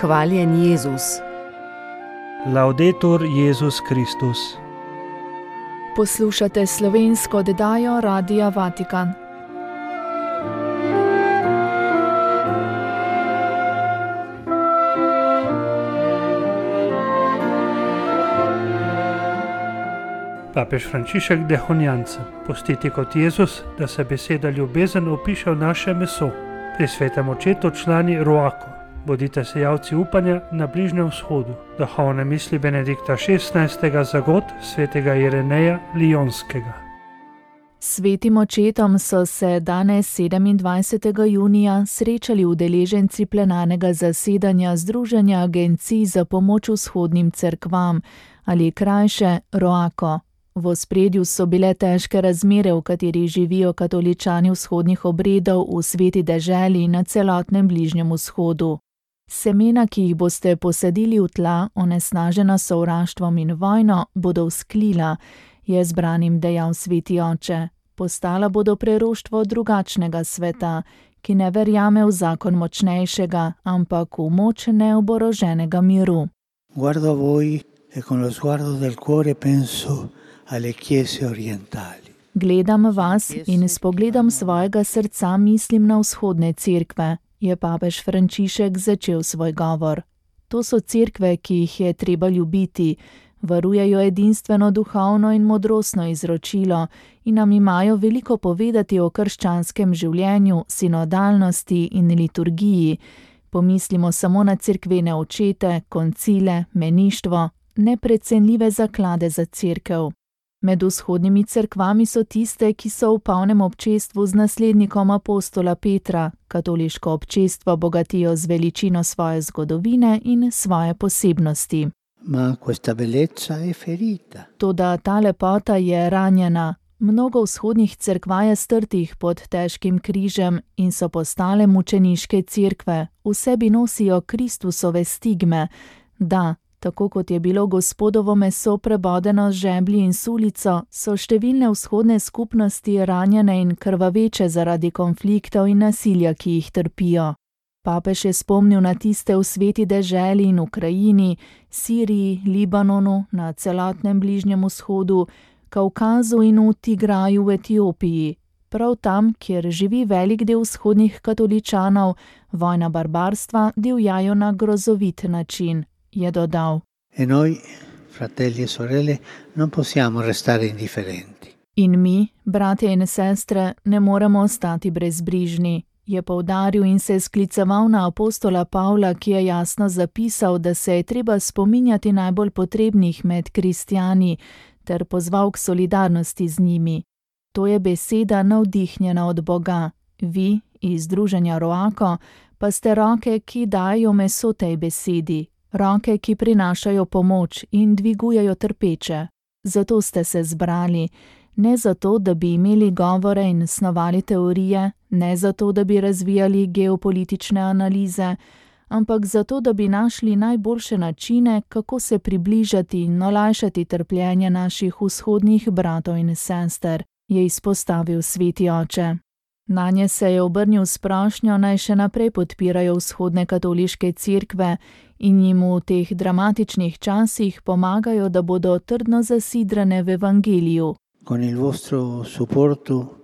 Hvaljen Jezus. Laudetur Jezus Kristus. Poslušate slovensko oddajo Radia Vatikan. Papež Frančišek Dehonjanca, postiti kot Jezus, da se beseda ljubezen opiše v naše meso. Pri svetem očetu člani Roako, bodite sejalci upanja na Bližnjem vzhodu. Duhovne misli Benedikta XVI. Zagod svetega Ireneja Lijonskega. Svetim očetom so se danes 27. junija srečali udeleženci plenarnega zasedanja Združenja agencij za pomoč vzhodnim cerkvam, ali krajše Roako. V ospredju so bile težke razmere, v katerih živijo katoličani vzhodnih obredov v sveti deželi na celotnem Bližnjem vzhodu. Semena, ki jih boste posadili v tla, onesnažena sovraštvom in vojno, bodo vzklila, je zbranim dejal sveti oče. Postala bodo preroštvo drugačnega sveta, ki ne verjame v zakon močnejšega, ampak v moč neoboroženega miru. Guardo a voi e con lo sguardo del cuore penso alle chiese orientali. Gledam vas in s pogledom svojega srca mislim na vzhodne cerkve, je papež Frančišek začel svoj govor. To so cerkve, ki jih je treba ljubiti, varujejo edinstveno duhovno in modrostno izročilo in nam imajo veliko povedati o krščanskem življenju, sinodalnosti in liturgiji. Pomislimo samo na cerkvene očete, koncile, meništvo, neprecenljive zaklade za cerkev. Med vzhodnimi cerkvami so tiste, ki so v polnem občestvu z naslednikom apostola Petra, katoliško občestvo bogatijo z veličino svoje zgodovine in svoje posebnosti. Ma questa bellezza è ferita. Toda ta lepota je ranjena. Mnogo vzhodnih cerkva je strtih pod težkim križem in so postale mučeniške cerkve. V sebi nosijo Kristusove stigme. Da, tako kot je bilo Gospodovo meso prebodeno z žeblji in sulico, so številne vzhodne skupnosti ranjene in krvaveče zaradi konfliktov in nasilja, ki jih trpijo. Papež je spomnil na tiste v sveti deželi in Ukrajini, Siriji, Libanonu, na celotnem Bližnjem vzhodu, Kavkazu in v Tigraju v Etiopiji. Prav tam, kjer živi velik del vzhodnih katoličanov, vojna barbarstva divjajo na grozovit način, je dodal. E noi, fratelli e sorelle, non possiamo restare indifferenti. In mi, bratje in sestre, ne moremo ostati brezbrižni, je poudaril in se skliceval na apostola Pavla, ki je jasno zapisal, da se je treba spominjati najbolj potrebnih med kristjani, ter pozval k solidarnosti z njimi. To je beseda navdihnjena od Boga. Vi, iz Združenja Roako, pa ste roke, ki dajo meso tej besedi. Roke, ki prinašajo pomoč in dvigujejo trpeče. Zato ste se zbrali, ne zato, da bi imeli govore in snovali teorije, ne zato, da bi razvijali geopolitične analize, ampak zato, da bi našli najboljše načine, kako se približati in olajšati trpljenje naših vzhodnih bratov in sester, je izpostavil sveti oče. Nanje se je obrnil s prošnjo, naj še naprej podpirajo vzhodne katoliške cerkve in jim v teh dramatičnih časih pomagajo, da bodo trdno zasidrane v evangeliju. Con il vostro supporto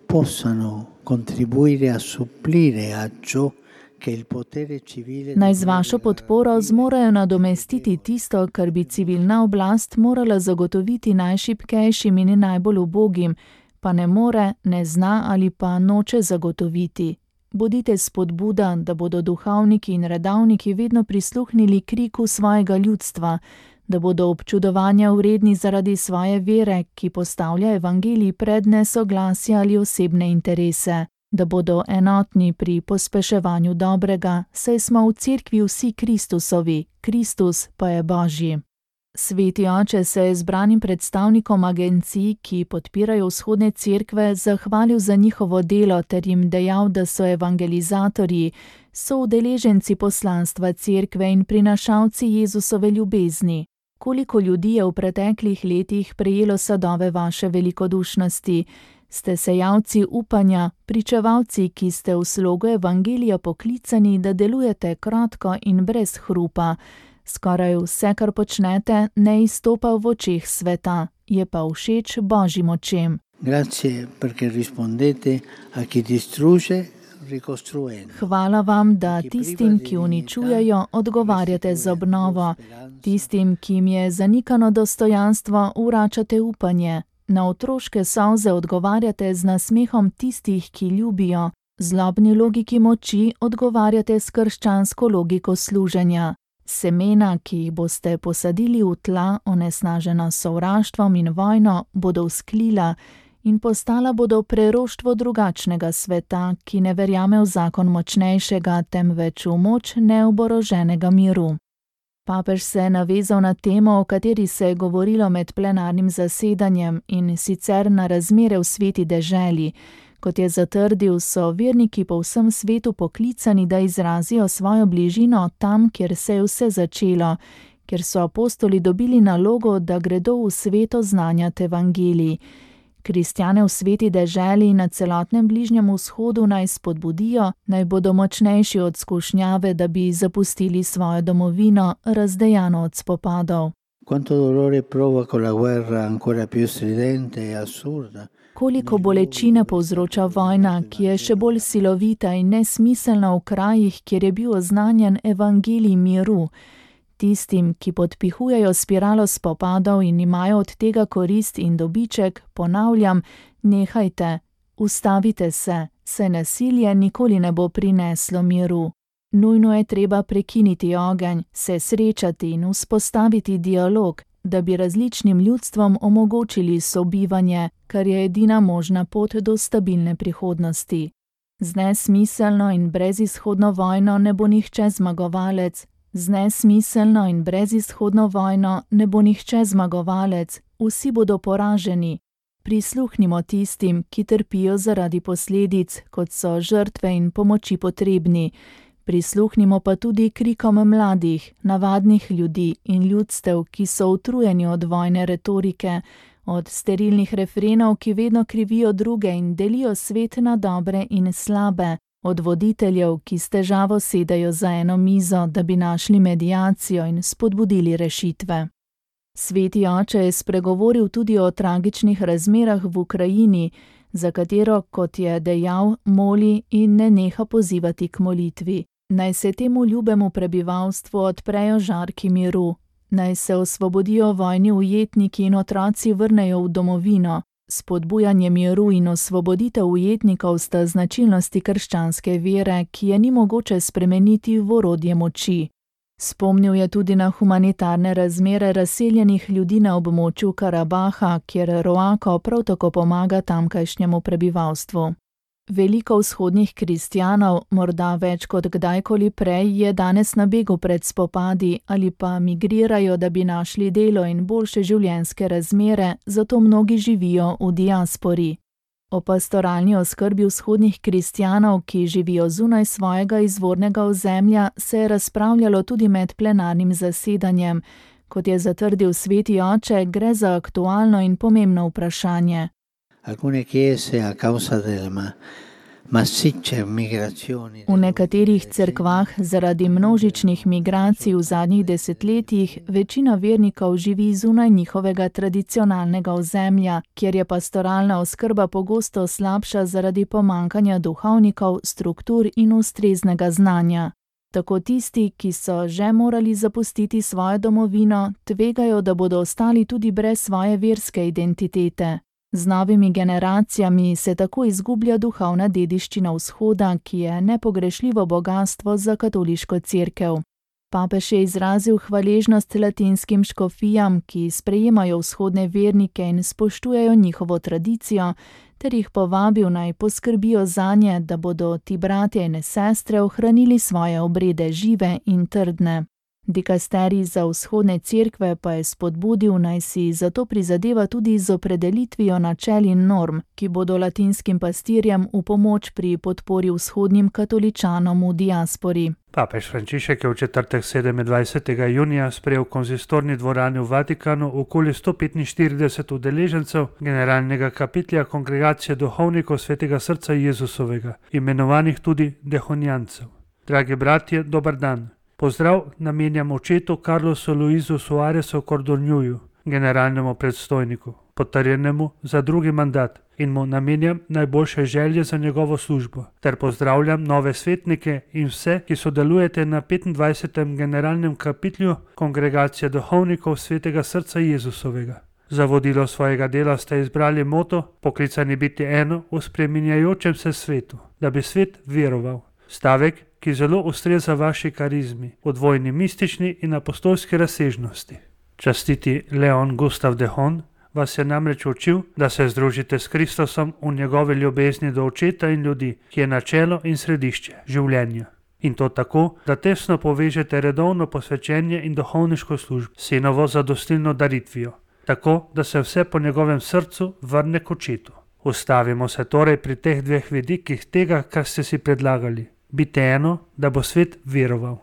possano contribuire a supplire a ciò che il potere civile. Naj z vašo podporo zmorajo nadomestiti tisto, kar bi civilna oblast morala zagotoviti najšibkejšim in najbolj ubogim, pa ne more, ne zna ali pa noče zagotoviti. Bodite spodbuda, da bodo duhovniki in redavniki vedno prisluhnili kriku svojega ljudstva, da bodo občudovanja vredni zaradi svoje vere, ki postavlja evangelij pred nesoglasje ali osebne interese, da bodo enotni pri pospeševanju dobrega, saj smo v cerkvi vsi Kristusovi, Kristus pa je Božji. Sveti oče se je zbranim predstavnikom agencij, ki podpirajo vzhodne cerkve, zahvalil za njihovo delo ter jim dejal, da so evangelizatorji, so udeleženci poslanstva cerkve in prinašalci Jezusove ljubezni. Koliko ljudi je v preteklih letih prejelo sadove vaše velikodušnosti, Ste sejalci upanja, pričevalci, ki ste v slogu evangelija poklicani, da delujete kratko in brez hrupa. Skoraj vse, kar počnete, ne izstopa v očeh sveta, je pa všeč Božjim očem. Grazie perché rispondete a chi distrugge ricostruendo. Hvala vam, da tistim, ki uničujejo, odgovarjate z obnovo. Tistim, ki jim je zanikano dostojanstvo, vračate upanje. Na otroške solze odgovarjate z nasmehom tistih, ki ljubijo. Zlobni logiki moči odgovarjate s krščansko logiko služenja. Semena, ki jih boste posadili v tla, onesnažena s sovraštvom in vojno, bodo vzklila in postala bodo preroštvo drugačnega sveta, ki ne verjame v zakon močnejšega, temveč v moč neoboroženega miru. Papež se je navezal na temo, o kateri se je govorilo med plenarnim zasedanjem, in sicer na razmere v sveti deželi. Kot je zatrdil, so verniki po vsem svetu poklicani, da izrazijo svojo bližino tam, kjer se je vse začelo, kjer so apostoli dobili nalogo, da gredo v svet oznanjati evangelij. Kristjane v sveti deželi na celotnem Bližnjem vzhodu naj spodbudijo, naj bodo močnejši od skušnjave, da bi zapustili svojo domovino, razdejano od spopadov. Quanto dolore provoca la guerra ancora più stridente e assurda. Koliko bolečine povzroča vojna, ki je še bolj silovita in nesmiselna v krajih, kjer je bil oznanjen evangelij miru. Tistim, ki podpihujejo spiralo spopadov in imajo od tega korist in dobiček, ponavljam, nehajte, ustavite se, saj nasilje nikoli ne bo prineslo miru. Nujno je treba prekiniti ogenj, se srečati in vzpostaviti dialog, da bi različnim ljudstvom omogočili sobivanje, kar je edina možna pot do stabilne prihodnosti. Z nesmiselno in brezizhodno vojno ne bo nihče zmagovalec. Vsi bodo poraženi. Prisluhnimo tistim, ki trpijo zaradi posledic, kot so žrtve in pomoči potrebni. Prisluhnimo pa tudi krikom mladih, navadnih ljudi in ljudstev, ki so utrujeni od vojne retorike, od sterilnih refrenov, ki vedno krivijo druge in delijo svet na dobre in slabe, od voditeljev, ki s težavo sedajo za eno mizo, da bi našli mediacijo in spodbudili rešitve. Sveti oče je spregovoril tudi o tragičnih razmerah v Ukrajini, za katero, kot je dejal, moli in ne neha pozivati k molitvi. Naj se temu ljubemu prebivalstvu odprejo žarki miru, naj se osvobodijo vojni ujetniki in otroci vrnejo v domovino. Spodbujanje miru in osvoboditev ujetnikov sta značilnosti krščanske vere, ki je ni mogoče spremeniti v orodje moči. Spomnil je tudi na humanitarne razmere razseljenih ljudi na območju Karabaha, kjer Roako prav tako pomaga tamkajšnjemu prebivalstvu. Veliko vzhodnih kristjanov, morda več kot kdajkoli prej, je danes na begu pred spopadi ali pa migrirajo, da bi našli delo in boljše življenjske razmere, zato mnogi živijo v diaspori. O pastoralni oskrbi vzhodnih kristjanov, ki živijo zunaj svojega izvornega ozemlja, se je razpravljalo tudi med plenarnim zasedanjem. Kot je zatrdil sveti oče, gre za aktualno in pomembno vprašanje. Alcune chiese a causa del massicce migrazioni. V nekaterih cerkvah zaradi množičnih migracij v zadnjih desetletjih večina vernikov živi zunaj njihovega tradicionalnega ozemlja, kjer je pastoralna oskrba pogosto slabša zaradi pomankanja duhovnikov, struktur in ustreznega znanja. Tako tisti, ki so že morali zapustiti svojo domovino, tvegajo, da bodo ostali tudi brez svoje verske identitete. Z novimi generacijami se tako izgublja duhovna dediščina vzhoda, ki je nepogrešljivo bogastvo za katoliško cerkev. Papež je izrazil hvaležnost latinskim škofijam, ki sprejemajo vzhodne vernike in spoštujejo njihovo tradicijo, ter jih povabil naj poskrbijo zanje, da bodo ti bratje in sestre ohranili svoje obrede žive in trdne. Dikasterij za vzhodne cerkve pa je spodbudil, naj si zato prizadeva tudi z opredelitvijo načel in norm, ki bodo latinskim pastirjem v pomoč pri podpori vzhodnim katoličanom v diaspori. Papež Frančišek je v četrtek 27. junija sprejel v konzistorni dvorani v Vatikanu okoli 145 udeležencev generalnega kapitelja Kongregacije duhovnikov Svetega srca Jezusovega, imenovanih tudi dehonijancev. Dragi bratje, dober dan. Pozdrav namenjam očetu Carlosu Luisu Suaresu Cordonjuju, generalnemu predstojniku, potrjenemu za drugi mandat, in mu namenjam najboljše želje za njegovo službo, ter pozdravljam nove svetnike in vse, ki sodelujete na 25. generalnem kapitelju Kongregacije duhovnikov Svetega srca Jezusovega. Za vodilo svojega dela ste izbrali moto poklicani biti eno v spreminjajočem se svetu, da bi svet veroval. Stavek, ki zelo ustreza vaši karizmi, v dvojni mistični in apostolski razsežnosti. Častiti Leon Gustav de Hon vas je namreč učil, da se združite s Kristusom v njegovi ljubezni do očeta in ljudi, ki je načelo in središče življenja. In to tako, da tesno povežete redovno posvečenje in duhovniško službo s sinovo zadostilno daritvijo, tako da se vse po njegovem srcu vrne k očetu. Ustavimo se torej pri teh dveh vidikih tega, kar ste si predlagali. Biti eno, da bo svet veroval.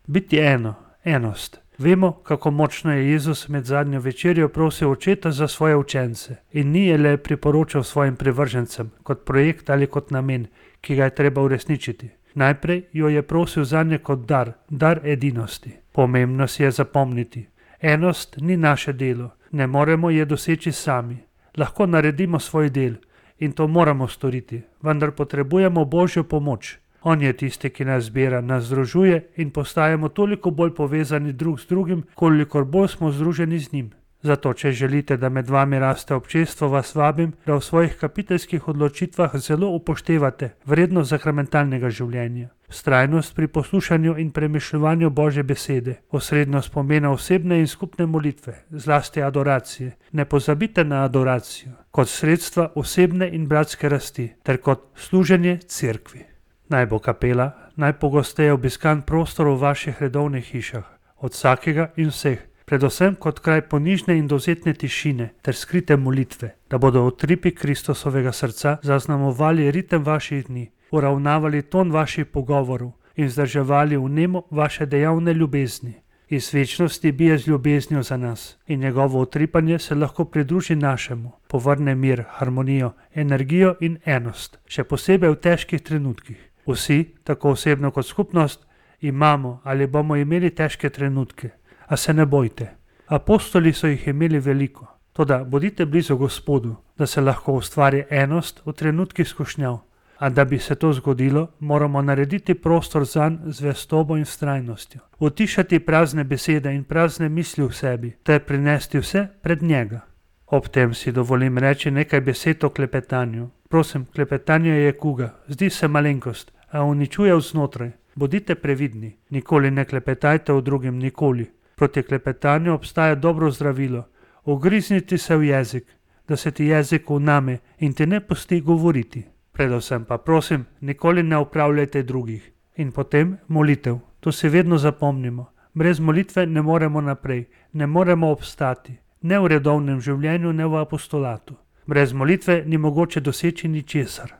Biti eno, enost. Vemo, kako močno je Jezus med zadnjo večerjo prosil očeta za svoje učence in ni je le priporočal svojim privržencem kot projekt ali kot namen, ki ga je treba uresničiti. Najprej jo je prosil zanje kot dar edinosti. Pomembno si je zapomniti. Enost ni naše delo, ne moremo je doseči sami. Lahko naredimo svoj del in to moramo storiti, vendar potrebujemo Božjo pomoč. On je tisti, ki nas zbira, nas združuje in postajamo toliko bolj povezani drug z drugim, kolikor bolj smo združeni z njim. Zato, če želite, da med vami raste občestvo, vas vabim, da v svojih kapiteljskih odločitvah zelo upoštevate vrednost sakramentalnega življenja, vztrajnost pri poslušanju in premišljevanju Božje besede, osrednost pomena osebne in skupne molitve, zlasti adoracije. Ne pozabite na adoracijo kot sredstva osebne in bratske rasti ter kot služenje cerkvi. Naj bo kapela najpogosteje obiskan prostor v vaših redovnih hišah, od vsakega in vseh, predvsem kot kraj ponižne in dovzetne tišine ter skrite molitve, da bodo utripi Kristusovega srca zaznamovali ritem vaših dni, uravnavali ton vaših pogovorov in vzdrževali vnemo vaše dejavne ljubezni. Iz večnosti bije z ljubeznijo za nas in njegovo utripanje se lahko pridruži našemu, povrne mir, harmonijo, energijo in enost, še posebej v težkih trenutkih. Vsi, tako osebno kot skupnost, imamo ali bomo imeli težke trenutke, a se ne bojte. Apostoli so jih imeli veliko, toda bodite blizu Gospodu, da se lahko ustvari enost v trenutkih skušnjav. A da bi se to zgodilo, moramo narediti prostor zanj z zvestobo in vztrajnostjo, utišati prazne besede in prazne misli v sebi, ter prinesti vse pred njega. Ob tem si dovolim reči nekaj besed o klepetanju. Prosim, klepetanje je kuga, zdi se malenkost, a uničuje vznotraj. Bodite previdni, nikoli ne klepetajte o drugim, nikoli. Proti klepetanju obstaja dobro zdravilo. Ugrizniti se v jezik, da se ti jezik vname in te ne pusti govoriti. Predvsem pa prosim, nikoli ne opravljajte drugih. In potem molitev, to si vedno zapomnimo. Brez molitve ne moremo naprej, ne moremo obstati, ne v redovnem življenju, ne v apostolatu. Brez molitve ni mogoče doseči ničesar.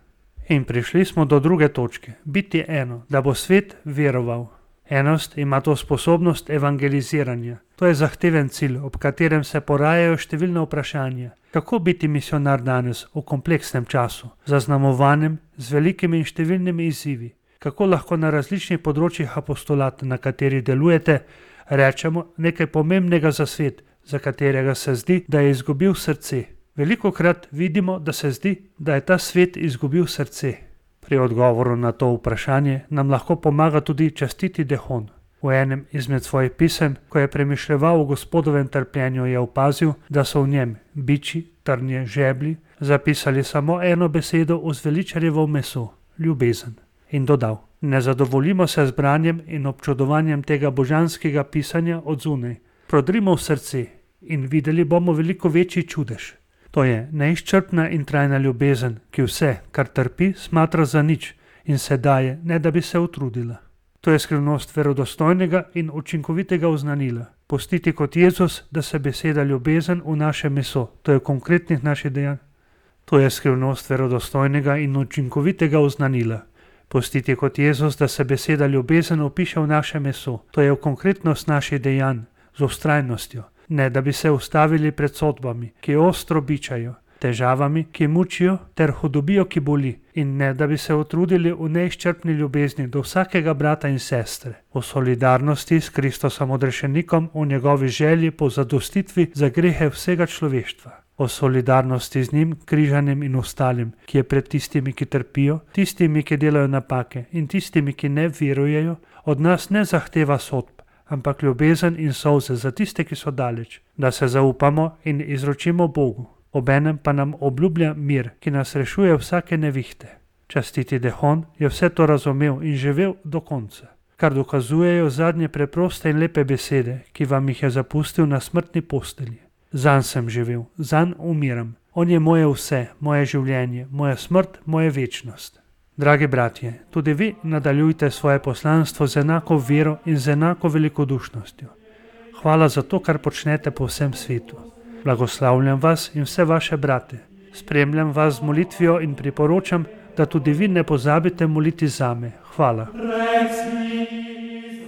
In prišli smo do druge točke, biti eno, da bo svet veroval. Enost ima to sposobnost evangeliziranja. To je zahteven cilj, ob katerem se porajajo številne vprašanja. Kako biti misionar danes v kompleksnem času, zaznamovanem z velikimi in številnimi izzivi? Kako lahko na različnih področjih apostolata, na katerih delujete, rečemo nekaj pomembnega za svet, za katerega se zdi, da je izgubil srce? Velikokrat vidimo, da se zdi, da je ta svet izgubil srce. Pri odgovoru na to vprašanje nam lahko pomaga tudi častiti de Hon. V enem izmed svojih pisem, ko je premišljeval o Gospodovem trpljenju, je opazil, da so v njem biči, trnje, žeblji zapisali samo eno besedo v zveličarjevo meso, ljubezen. In dodal, ne zadovoljimo se z branjem in občudovanjem tega božanskega pisanja od zunaj. Prodrimo v srce in videli bomo veliko večji čudež. To je neizčrpna in trajna ljubezen, ki vse, kar trpi, smatra za nič in se daje, ne da bi se utrudila. To je skrivnost verodostojnega in učinkovitega oznanila. Postiti kot Jezus, da se beseda ljubezen v naše meso, to je konkretnih naših dejanj. To je skrivnost verodostojnega in učinkovitega oznanila. Postiti kot Jezus, da se beseda ljubezen opiše v naše meso, to je v konkretnost naših dejanj, z vztrajnostjo, ne da bi se ustavili pred sodbami, ki ostro bičajo, težavami, ki mučijo, ter hudobijo, ki boli, in ne da bi se utrudili v neizčrpni ljubezni do vsakega brata in sestre, v solidarnosti s Kristosom odrešenikom, v njegovi želji po zadostitvi za grehe vsega človeštva, o solidarnosti z njim, križanim in ostalim, ki je pred tistimi, ki trpijo, tistimi, ki delajo napake in tistimi, ki ne verujejo, od nas ne zahteva sodb, ampak ljubezen in solze za tiste, ki so daleč, da se zaupamo in izročimo Bogu. Obenem pa nam obljublja mir, ki nas rešuje vsake nevihte. Častiti Dehon je vse to razumel in živel do konca, kar dokazujejo zadnje preproste in lepe besede, ki vam jih je zapustil na smrtni postelji. Zanj sem živel, zanj umiram. On je moje vse, moje življenje, moja smrt, moja večnost. Dragi bratje, tudi vi nadaljujte svoje poslanstvo z enako vero in z enako velikodušnostjo. Hvala za to, kar počnete po vsem svetu. Blagoslavljam vas in vse vaše brate. Spremljam vas z molitvijo in priporočam, da tudi vi ne pozabite moliti zame. Hvala.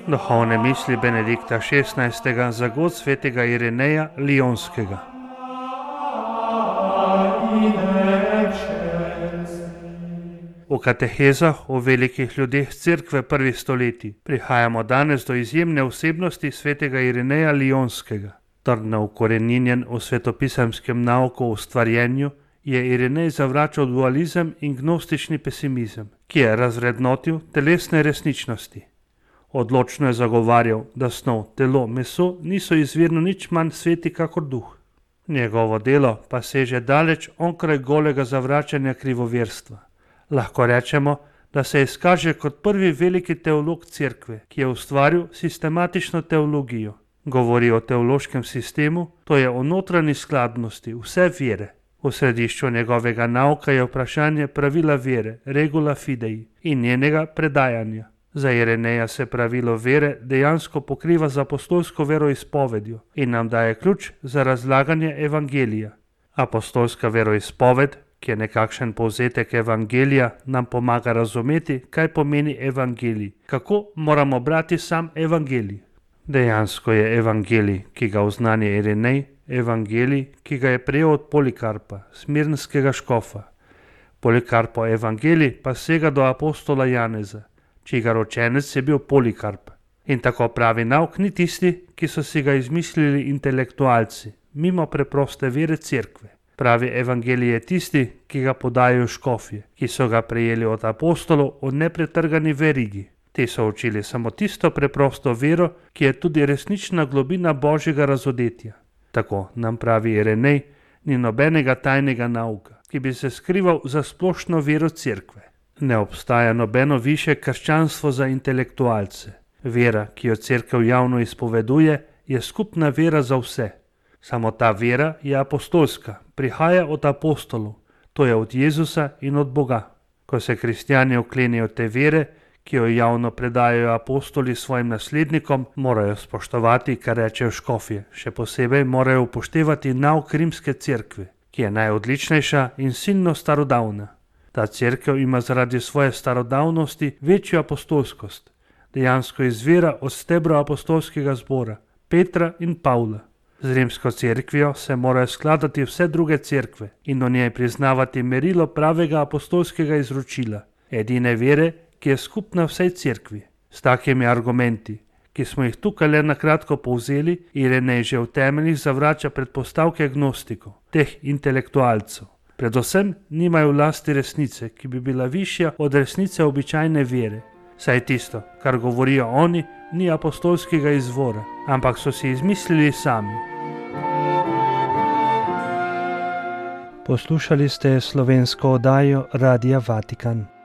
Duhovne misli Benedikta XVI. Za god svetega Irineja Lionskega. V katehezah o velikih ljudeh Cerkve prvih stoletij prihajamo danes do izjemne osebnosti svetega Irineja Lionskega. Trdno ukoreninjen v svetopisemskem nauku o ustvarjenju, je Irinej zavračal dualizem in gnostični pesimizem, ki je razvrednotil telesne resničnosti. Odločno je zagovarjal, da snov, telo, meso niso izvirno nič manj sveti kakor duh. Njegovo delo pa seže daleč onkraj golega zavračanja krivoverstva. Lahko rečemo, da se izkaže kot prvi veliki teolog Cerkve, ki je ustvaril sistematično teologijo. Govori o teološkem sistemu, to je o notranji skladnosti vse vere. V središču njegovega nauka je vprašanje pravila vere, regula fidei, in njenega predajanja. Za Irineja se pravilo vere dejansko pokriva z apostolsko veroizpovedjo in nam daje ključ za razlaganje evangelija. Apostolska veroizpoved, ki je nekakšen povzetek evangelija, nam pomaga razumeti, kaj pomeni evangelij, kako moramo brati sam evangelij. Dejansko je evangelij, ki ga oznanja Irinej, evangelij, ki ga je prejel od Polikarpa, smirnskega škofa. Polikarpo evangelij pa sega do apostola Janeza, čigar ročenec je bil Polikarp. In tako pravi nauk ni tisti, ki so si ga izmislili intelektualci, mimo preproste vere Cerkve. Pravi evangelij je tisti, ki ga podajajo škofje, ki so ga prejeli od apostolov v nepretrgani verigi. Ti so učili samo tisto preprosto vero, ki je tudi resnična globina božjega razodetja. Tako nam pravi Irinej, ni nobenega tajnega nauka, ki bi se skrival za splošno vero Cerkve. Ne obstaja nobeno višje krščanstvo za intelektualce. Vera, ki jo Cerkev javno izpoveduje, je skupna vera za vse. Samo ta vera je apostolska, prihaja od apostolov, to je od Jezusa in od Boga. Ko se kristjani oklenijo te vere, ki jo javno predajajo apostoli svojim naslednikom, morajo spoštovati, kar rečejo škofje, še posebej morajo upoštevati nauk rimske cerkve, ki je najodličnejša in silno starodavna. Ta cerkev ima zaradi svoje starodavnosti večjo apostolskost, dejansko izvira od stebra apostolskega zbora, Petra in Pavla. Z rimsko cerkvijo se morajo skladati vse druge cerkve in o njej priznavati merilo pravega apostolskega izročila, edine vere, ki je skupna vsej cerkvi. S takimi argumenti, ki smo jih tukaj le nakratko povzeli, Irinej že v temeljih zavrača predpostavke gnostikov, teh intelektualcev. Predvsem nimajo v lasti resnice, ki bi bila višja od resnice običajne vere. Saj tisto, kar govorijo oni, ni apostolskega izvora, ampak so si izmislili sami. Poslušali ste slovensko oddajo Radia Vatikan.